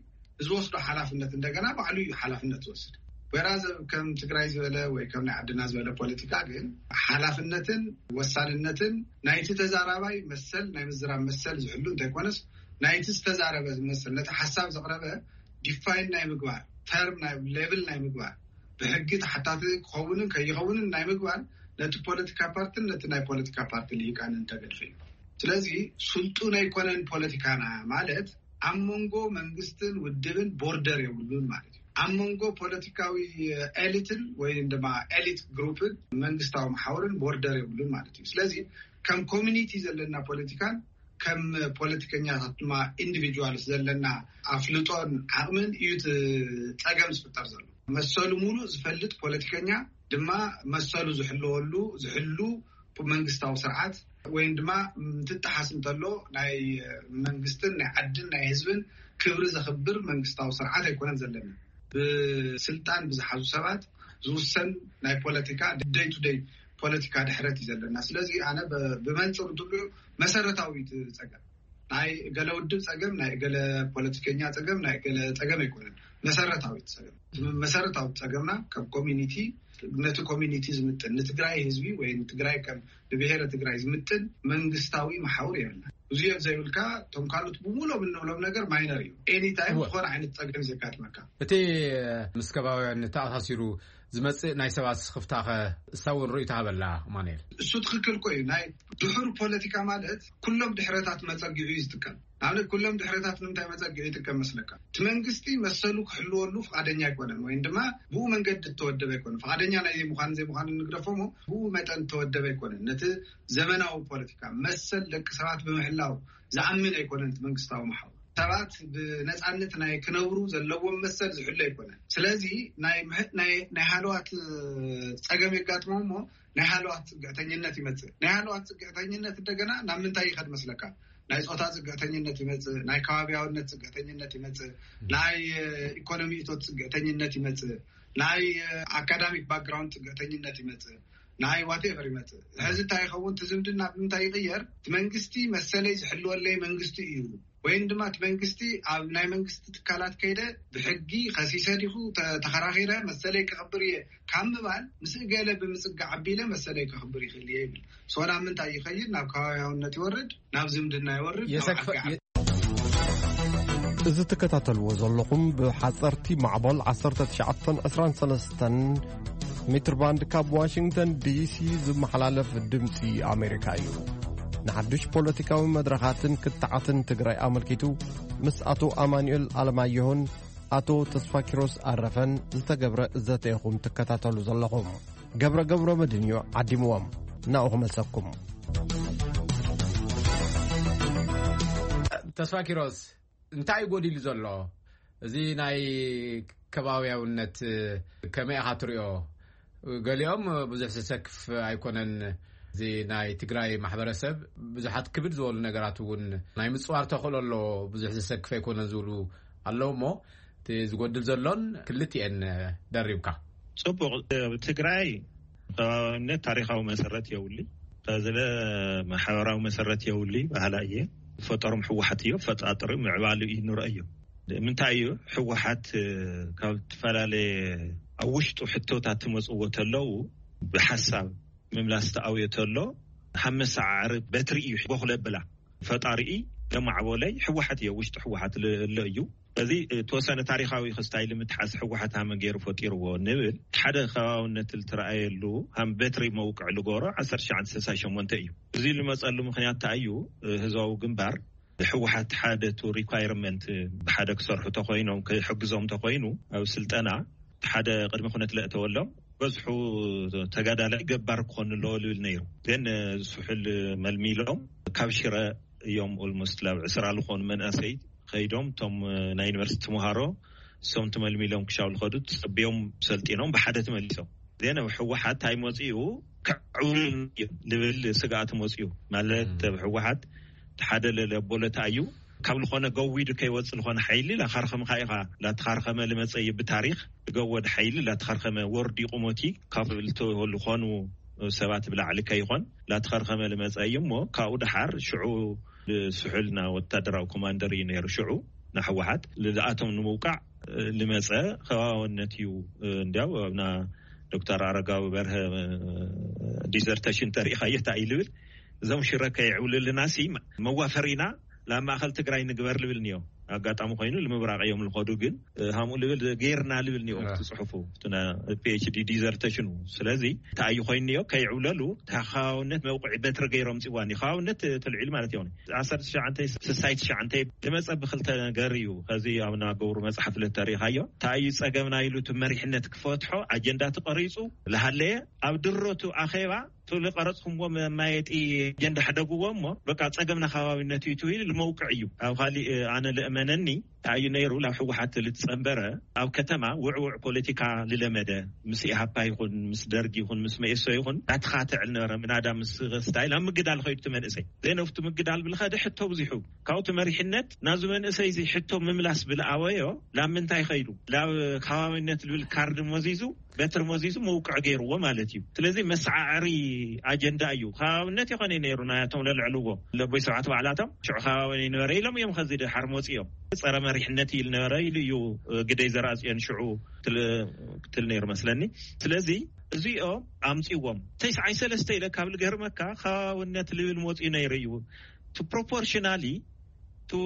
ዝወስዶ ሓላፍነት እንደገና ባዕሉ እዩ ሓላፍነት ዝወስድ። ወይራዝ ከም ትግራይ ዝበለ ወይ ከም ናይ ዓድና ዝበለ ፖለቲካ ግን ሓላፍነትን ወሳንነትን ናይቲ ተዛራባይ መሰል ናይ ምዝራብ መሰል ዝሕሉ እንተይኮነስ ናይቲ ዝተዛረበ ዝመስል ነቲ ሓሳብ ዘቕረበ ዲፋይን ናይ ምግባር ተርም ናይ ሌብል ናይ ምግባር፣ ብሕጊ ተሓታቲ ክኸውንን ከይኸውንን ናይ ምግባር፣ ነቲ ፖለቲካ ፓርትን ነቲ ናይ ፖለቲካ ፓርቲ ልሂቃንን ተገድፈ እዩ። ስለዚ ስልጡን ኣይኮነን ፖለቲካና ማለት ኣብ መንጎ መንግስትን ውድብን ቦርደር የብሉን ማለት እዩ። ኣብ መንጎ ፖለቲካዊ ኤሊትን ወይ ድማ ኤሊት ግሩፕን መንግስታዊ መሓውርን ቦርደር የብሉን ማለት እዩ። ስለዚ ከም ኮሚኒቲ ዘለና ፖለቲካን ከም ፖለቲከኛታት ድማ ኢንዲቪጁዋልስ ዘለና ኣፍልጦን ዓቕምን እዩ እቲ ጸገም ዝፍጠር ዘሎ። መሰሉ ሙሉእ ዝፈልጥ ፖለቲከኛ ድማ መሰሉ ዝሕለወሉ፣ ዝሕሉ መንግስታዊ ስርዓት ወይም ድማ ምትጣሓስ እንተሎ ናይ መንግስትን ናይ ዓድን ናይ ህዝብን ክብሪ ዘኽብር መንግስታዊ ስርዓት ኣይኮነን ዘለና። ብስልጣን ብዝሓዙ ሰባት ዝውሰን ናይ ፖለቲካ ደይ ቱ ደይ ፖለቲካ ድሕረት እዩ ዘለና። ስለዚ ኣነ ብ-፣ ብመንፅር እንትሉ መሰረታዊ እቲ ፀገም ናይ ገለ ውድብ ፀገም፣ ናይ ገለ ፖለቲከኛ ፀገም፣ ናይ ገለ ፀገም ኣይኮነን። መሰረታዊ እቲ ፀገም፣ እቲ መሰረታዊ ፀገምና ከም ኮሚኒቲ፣ ነቲ ኮሚኒቲ ዝምጥን፣ ንትግራይ ህዝቢ ወይ ንትግራይ ከም ንብሔረ ትግራይ ዝምጥን መንግስታዊ መሓውር የብልና። እዚኦም ዘይብልካ፣ እቶም ካልኦት ብምሎም እንብሎም ነገር ማይነር እዩ። ኤኒ ታይም እወ። ዝኾነ ዓይነት ፀገም ዘጋጥመካ። እቲ ምስ ከባቢያን ተኣሳሲሩ ዝመጽእ ናይ ሰባት ስኽፍታኸ እሳ እውን ርእይቶ ሃበላ። ማኑኤል። እሱ ትኽክል እኮ እዩ። ናይ ድሑር ፖለቲካ ማለት ኩሎም ድሕረታት መጸጊዑ እዩ ዝጥቀም። ንኣብነት ኩሎም ድሕረታት ንምንታይ መጸጊዑ ይጥቀም መስለካ? እቲ መንግስቲ መሰሉ ክሕልወሉ ፍቓደኛ ኣይኮነን፣ ወይም ድማ ብኡ መንገዲ እተወደበ ኣይኮነን። ፍቓደኛ ናይ ዘይምዃን ዘይምዃን ንግደፎ እሞ ብኡ መጠን እተወደበ ኣይኮነን። ነቲ ዘመናዊ ፖለቲካ መሰል ደቂ ሰባት ብምሕላው ዝኣምን ኣይኮነን እቲ መንግስታዊ መሓውር። ሰባት ብነጻነት ናይ ክነብሩ ዘለዎም መሰል ዝሕሉ ኣይኮነን። ስለዚ ናይ ምሕ-፣ ናይ፣ ናይ ሃለዋት ጸገም የጋጥሞም እሞ ናይ ሃለዋት ጽግዕተኝነት ይመጽእ። ናይ ሃለዋት ጽግዕተኝነት እንደገና ናብ ምንታይ ይኸድ መስለካ? ናይ ጾታ ጽግዕተኝነት ይመጽእ፣ ናይ ከባቢያውነት ጽግዕተኝነት ይመጽእ፣ ናይ፣ እ፣ ኢኮኖሚ እቶት ጽግዕተኝነት ይመጽእ፣ ናይ፣ እ፣ ኣካዳሚክ ባክግራውንድ ጽግዕተኝነት ይመጽእ፣ ናይ ዋቴቨር ይመጽእ። ሕዚ እንታይ ይኸውን? እቲ ዝምድና ብምንታይ ይቕየር? እቲ መንግስቲ መሰለይ ዝሕልወለይ መንግስቲ እዩ፣ ወይም ድማ እቲ መንግስቲ ኣብ ናይ መንግስቲ ትካላት ከይደ ብሕጊ ከሲሰ ዲኹ ተ-፣ ተኸራኺረ መሰለይ ከኽብር እየ ካብ ምባል ምስ እገለ ብምጽጋዕ ኣቢለ መሰለይ ከኽብር ይኽእል እየ ይብል። ሶ ናብ ምንታይ ይኸይድ? ናብ ከባቢያውነት ይወርድ፣ ናብ ዝምድና ይወርድ፣ ናብ የሰክፈ-፣ ዓዲ ዓዲ። የ-፣ እዚ ትከታተልዎ ዘለኹም ብሓጸርቲ ማዕበል ዓሰርተ ትሽዓተን ዕስራን ሰለስተን ሜትር ባንድ ካብ ዋሽንግተን ዲሲ ዝመሓላለፍ ድምጺ ኣሜሪካ እዩ። ንሓድሽ ፖለቲካዊ መድረኻትን ክትዓትን ትግራይ ኣመልኪቱ ምስ ኣቶ ኣማኑኤል ኣለማየሁን ኣቶ ተስፋኪሮስ ኣረፈን ዝተገብረ ዘተ ኢኹም ትከታተሉ ዘለኹም። ገብረ ገብረ መድህን እዩ ዓዲምዎም። ናኡ ክመልሰኩም። ተስፋኪሮስ፣ እንታይ እዩ ጎዲሉ ዘሎ? እዚ ናይ ከባቢያውነት ከመይ ኢኻ ትሪኦ? ገሊኦም ብዙሕ ዘሰክፍ ኣይኮነን። እዚ ናይ ትግራይ ማሕበረሰብ ብዙሓት ክብድ ዝበሉ ነገራት እውን ናይ ምፅዋር ተኽእሎ ኣሎ፣ ብዙሕ ዘሰክፍ ኣይኮነን ዝብሉ ኣለዉ። እሞ እቲ ዝጎድል ዘሎን ክልቲኤን ደሪብካ። ጽቡቕ። ኣብ ትግራይ ከባቢያውነት ታሪኻዊ መሰረት የብሉይ። ከዝለ ማሕበራዊ መሰረት የብሉይ ባህላ እየ። ፈጠሮም ህወሓት እዮ፣ ፈጣጥሪ ምዕባሉ እዩ ንረእዮ። ምንታይ እዩ ህወሓት፣ እ፣ ካብ ዝተፈላለየ ኣብ ውሽጡ ሕቶታት ትመጽዎ ተለዉ ብሓሳብ ምምላስ ተኣውዮ ተሎ ሃብ መሰዓዓሪ በትሪ እዩ ቦኽለ ብላ። ፈጣሪኢ ለማዕቦለይ ህወሓት እዮ፣ ውሽጢ ህወሓት ል-፣ እሎ እዩ። እዚ፣ እ፣ ተወሰነ ታሪኻዊ ክስታይ ልምትሓስ ህወሓት ሃመ ገይሩ ፈጢርዎ ንብል። ሓደ ከባብነት ልትረኣየሉ ሃም በትሪ መውቅዕ ልጎሮ ዓሰርተ ትሽዓተ ስልሳ ሸሞንተ እዩ። እዚ ልመጸሉ ምኽንያት እንታይ እዩ? እ፣ ህዝባዊ ግንባር ህወሓት ሓደ ቱ ሪኳይርመንት ብሓደ ክሰርሑ ተኮይኖም ክሕግዞም ተኮይኑ ኣብ ስልጠና ሓደ ቅድሚ ኩነት ለእተወሎም በዝሑ ተጋዳላይ ገባር ክኾኑ ኣለዎ ልብል ነይሩ። ግን ስሑል መልሚሎም ካብ ሽረ እዮም ኦልሞስት ላብ ዕስራ ዝኾኑ መናእሰይ ከይዶም እቶም ናይ ዩኒቨርሲቲ ተምሃሮ እሶም ትመልሚሎም ክሻው ልኸዱ ጸቢዮም ሰልጢኖም ብሓደ ተመሊሶም። ዜና ህወሓት ኣይመጺኡ ክዕውል ልብል ስግኣት መጺኡ ማለት ኣብ ህወሓት ሓደ ለለቦለታ እዩ። ካብ ዝኾነ ገዊዱ ከይወጽእ ዝኾነ ሓይሊ ላኻርኸምኻ ኢኻ። ላተኻርኸመ ልመጸ እዩ ብታሪኽ ዝገወድ ሓይሊ ላተኻርኸመ ወርዲቑ ሞቲ ካብ ልተወሉ ዝኾኑ ሰባት ብላዕሊ ከይኾን ላተኻርኸመ ልመጸ እዩ። እሞ ካብኡ ደሓር ሽዑ ስሑልና ወታደራዊ ኮማንደር እዩ ነይሩ። ሽዑ ንሕወሓት ልኣቶም ንምውቃዕ ልመጸ ከባባውነት እዩ። እንዲያው ኣብና ዶክተር ኣረጋዊ በርሀ ዲዘርተሽን ተሪኢኻዮ እንታይ እዩ ልብል? እዞም ሽረ ከይዕውልልና ሲ መዋፈሪና ናብ ማእኸል ትግራይ ንግበር ልብል እኒኦ። ኣጋጣሚ ኮይኑ ንምብራቕ እዮም ዝኸዱ። ግን ሃምኡ ልብል ጌርና ልብል ኒኦም ትፅሑፉ ፒኤችዲ ዲዘርተሽኑ። ስለዚ እንታይ እዩ ኮይኑ ኒኦ ከይዕብለሉ ተኻባብነት መውቅዒ በትሪ ገይሮም ፅዋን እዩ። ከባብነት ትልዒል ማለት እዩ። ዓሰርተ ትሽዓተ ስሳይ ትሽዓተ ዝመፀ ብክልተ ነገር እዩ። ከዚ ኣብና ገብሩ መፅሓፍ ለተሪኢኻዮ እንታይ እዩ ፀገምና ኢሉ እቲ መሪሕነት ክፈትሖ ኣጀንዳ ተቐሪፁ ዝሃለየ ኣብ ድሮቱ ኣኼባ ትብሊ ቀረፅኩምዎ መማየጢ ኣጀንዳ ሕደግዎ እሞ በቃ ፀገምና ከባቢነት እዩ ትብል ልመውቅዕ እዩ። ኣብ ካሊእ ኣነ ልእመነኒ እንታይ እዩ ነይሩ ናብ ህወሓት ልትፀንበረ ኣብ ከተማ ውዕውዕ ፖለቲካ ልለመደ ምስ ኢሃፓ ይኹን ምስ ደርግ ይኹን ምስ መኤሶ ይኹን ኣትኻትዕ ልነበረ ምናዳ ምስ ስታይል ኣብ ምግዳል ኸይዱ እቲ መንእሰይ ዘይነፍቱ ምግዳል ብልኸደ ሕቶ ብዙሑ ካብቲ መሪሕነት ናዚ መንእሰይ እዚ ሕቶ ምምላስ ብልኣወዮ ላብ ምንታይ ኸይዱ ላብ ከባቢነት ልብል ካርድ መዚዙ በትሪ መዚዙ መውቅዕ ገይርዎ ማለት እዩ። ስለዚ መሰዓዕሪ ኣጀንዳ እዩ። ከባብነት ይኾነ ነይሩ ናያቶም ለልዕልዎ ለቦይ ሰባት ባዕላቶም ሽዑ ከባቢ ይነበረ ኢሎም እዮም ከዚ ድሓር መፂኦም ጸረ መሪሕነት ኢል ነበረ ኢሉ እዩ ግደይ ዘርኣፅዮን ሽዑ ትል ነይሩ መስለኒ። ስለዚ እዚኦም ኣምፅዎም ተስዓይ ሰለስተ ኢለ ካብ ልገርመካ ከባብነት ልብል መፂኡ ነይሩ እዩ። ፕሮፖርሽናሊ ቱ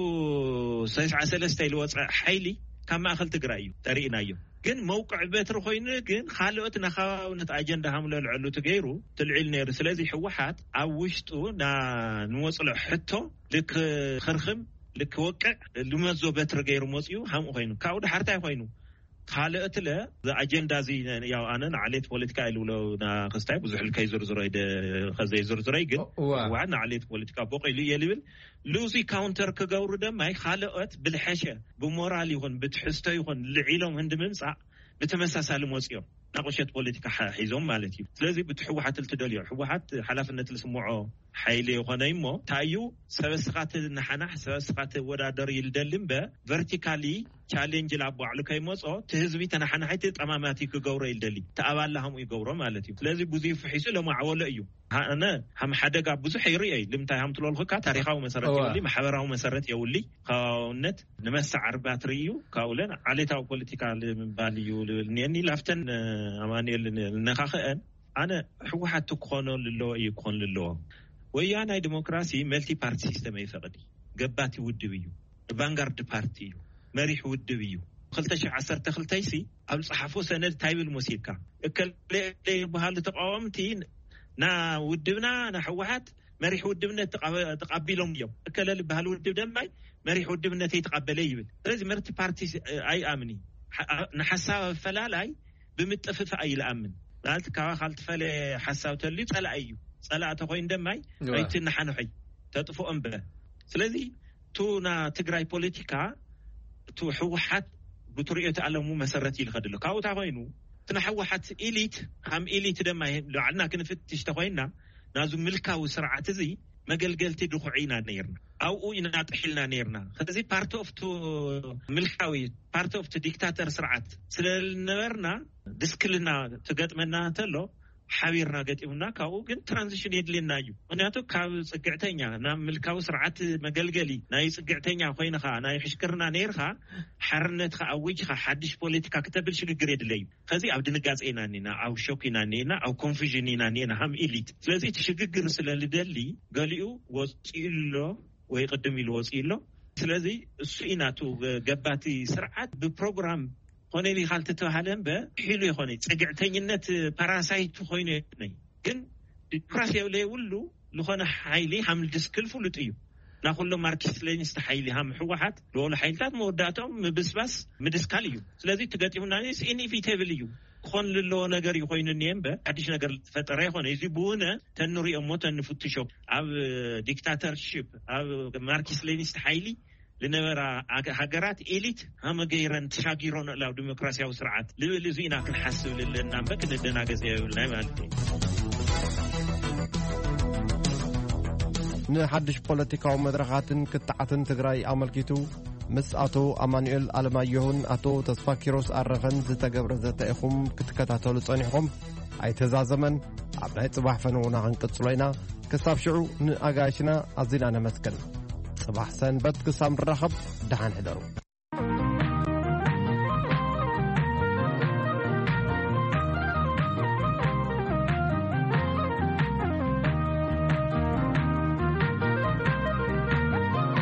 ሰስዓ ሰለስተ ኢሉ ወፀ ሓይሊ ካብ ማእኸል ትግራይ እዩ ተርእናዮ። ግን መውቅዕ በትሪ ኮይኑ ግን ካልኦት ናኻባብነት ኣጀንዳ ሃምለልዐሉ ትገይሩ ትልዒል ነይሩ። ስለዚ ህወሓት ኣብ ውሽጡ ንወፅሎ ሕቶ ልክኽርኽም ልክወቅዕ ልመዞ በትሪ ገይሩ መፅኡ ሃምኡ ኮይኑ ካብኡ ድሓርታይ ኮይኑ ካልኦትለ ኣጀንዳ እዚ ያው ኣነ ንዓሌት ፖለቲካ ኢልብሎ ናክስታይ ብዙሕ ልከይ ዝርዝሮ ከዘይዝርዝሮ ግን ህወሓት ንዓሌት ፖለቲካ ቦቕ ኢሉ እየ ልብል ሉዚ ካውንተር ክገብሩ ደማይ ካልኦት ብልሐሸ ብሞራል ይኹን ብትሕዝቶ ይኹን ልዒሎም ህንዲ ምምፃእ ብተመሳሳሊ መፅኦም ናቁሸት ፖለቲካ ሒዞም ማለት እዩ። ስለዚ ብቲ ህወሓት ልትደልዮ ህወሓት ሓላፍነት ልስምዖ ሓይሊ የኾነ እሞ እንታይ እዩ ሰበስኻት ንሓናሕ ሰበስኻት ወዳደር ይልደሊ እምበ ቨርቲካሊ ቻሌንጅ ላብ ባዕሉ ከይመፆ እቲ ህዝቢ ተናሓናሒቲ ጠማማቲ ክገብሮ ይልደሊ ተኣባላ ሃምኡ ይገብሮ ማለት እዩ። ስለዚ ብዙ ፍሒሱ ለማዕወሎ እዩ። ኣነ ሃም ሓደጋ ብዙሕ ይርእየ ልምታይ ሃም ትለልኩካ ታሪካዊ መሰረት የውሊ ማሕበራዊ መሰረት የውሊ ከባውነት ንመሰዓር ባትሪ እዩ። ካብኡለን ዓሌታዊ ፖለቲካ ንምባል እዩ ልብል እኒአኒ ላፍተን ኣማኑኤል ልነካኽአን ኣነ ህወሓት ክኾኖ ልለዎ እዩ ክኾን ልለዎ። ወያናይ ዲሞክራሲ መልቲ ፓርቲ ሲስተም ይፈቕድ ገባቲ ውድብ እዩ። ቫንጋርድ ፓርቲ እዩ። መሪሕ ውድብ እዩ። ክልተ ሺሕ ዓሰርተ ክልተ ሲ ኣብ ዝፀሓፎ ሰነድ እንታይ ብል መሲልካ እከለ ይበሃሉ ተቃወምቲ ና ውድብና ና ህወሓት መሪሕ ውድብነት ተቃቢሎም እዮም። እከለ ዝበሃል ውድብ ደማይ መሪሕ ውድብነት ይተቃበለ ይብል። ስለዚ መርቲ ፓርቲ ኣይኣምኒ ንሓሳብ ኣፈላላይ ብምጥፍፋእ እዩ ዝኣምን። ማለት ካባኻ ልትፈለ ሓሳብ ተልዩ ጸላኢ እዩ። ጸላኢ ተኮይኑ ደማይ ኣይትነሓንሖይ ተጥፍኦ እምበ። ስለዚ ቱ ና ትግራይ ፖለቲካ ቱ ህወሓት ብትሪኦት ኣለሙ መሰረት ይልኸድሉ ካብኡታ ኮይኑ እቲ ናይ ህወሓት ኢሊት ሃም ኢሊት ደማ ባዕልና ክንፍትሽ ተኮይንና ናዙ ምልካዊ ስርዓት እዚ መገልገልቲ ድኹዒ ኢና ነይርና። ኣብኡ ኢና ጥሒልና ነይርና። ከዚ ፓርቲ ኦፍቱ ምልካዊ ፓርቲ ኦፍቱ ዲክታተር ስርዓት ስለነበርና ድስክልና ትገጥመና ተሎ ሓቢርና ገጢሙና ካብኡ ግን ትራንዚሽን የድልየና እዩ። ምክንያቱ ካብ ፅግዕተኛ ናብ ምልካዊ ስርዓት መገልገሊ ናይ ፅግዕተኛ ኮይንካ ናይ ሕሽክርና ነይርካ ሓርነትካ ኣዊጅካ ሓድሽ ፖለቲካ ክተብል ሽግግር የድለ እዩ። ከዚ ኣብ ድንጋፀ ኢና እኒና ኣብ ሾክ ኢና እኒና ኣብ ኮንፊዥን ኢና እኒና ሃም ኢሊት ስለዚ እቲ ሽግግር ስለ ልደሊ ገሊኡ ወፂኡ ኣሎ ወይ ቅድም ኢሉ ወፂኡ ኣሎ። ስለዚ እሱ ኢናቱ ገባቲ ስርዓት ብፕሮግራም ኮነ ኢልካ ልተተባሃለ እምበ ሒሉ ይኮነ ፅግዕተኝነት ፓራሳይት ኮይኑ ይኮነ ግን ዲሞክራሲ የብለ የብሉ ዝኾነ ሓይሊ ሃም ድስክል ፍሉጥ እዩ። ናኩሎም ማርክስ ሌኒስት ሓይሊ ሃም ህወሓት ዝበሉ ሓይልታት መወዳእቶም ምብስባስ ምድስካል እዩ። ስለዚ ትገጢሙና ኢንኢቪቴብል እዩ ክኾን ልለዎ ነገር እዩ ኮይኑ እኒኤ እምበ ሓድሽ ነገር ዝፈጠረ ይኮነ እዚ ብውነ ተንሪኦ እሞ ተንፍትሾ ኣብ ዲክታተርሽፕ ኣብ ማርክስ ሌኒስት ሓይሊ ልነበራ ሃገራት ኤሊት ሃመገይረን ተሻጊሮን ናብ ዲሞክራሲያዊ ስርዓት ልብል እዚ ኢና ክንሓስብ ልለና እምበር ክንደናገጽ የብልናይ ማለት እዩ። ንሓድሽ ፖለቲካዊ መድረኻትን ክትዓትን ትግራይ ኣመልኪቱ ምስ ኣቶ ኣማኑኤል ኣለማየሁን ኣቶ ተስፋ ኪሮስ ኣረኸን ዝተገብረ ዘተ ኢኹም ክትከታተሉ ጸኒሕኹም። ኣይተዛዘመን። ኣብ ናይ ጽባሕ ፈነውና ክንቅጽሎ ኢና። ክሳብ ሽዑ ንኣጋይሽና ኣዚና ነመስግን። ጽባሕ ሰንበት ክሳብ ንራኸብ ደሓን ሕደሩ።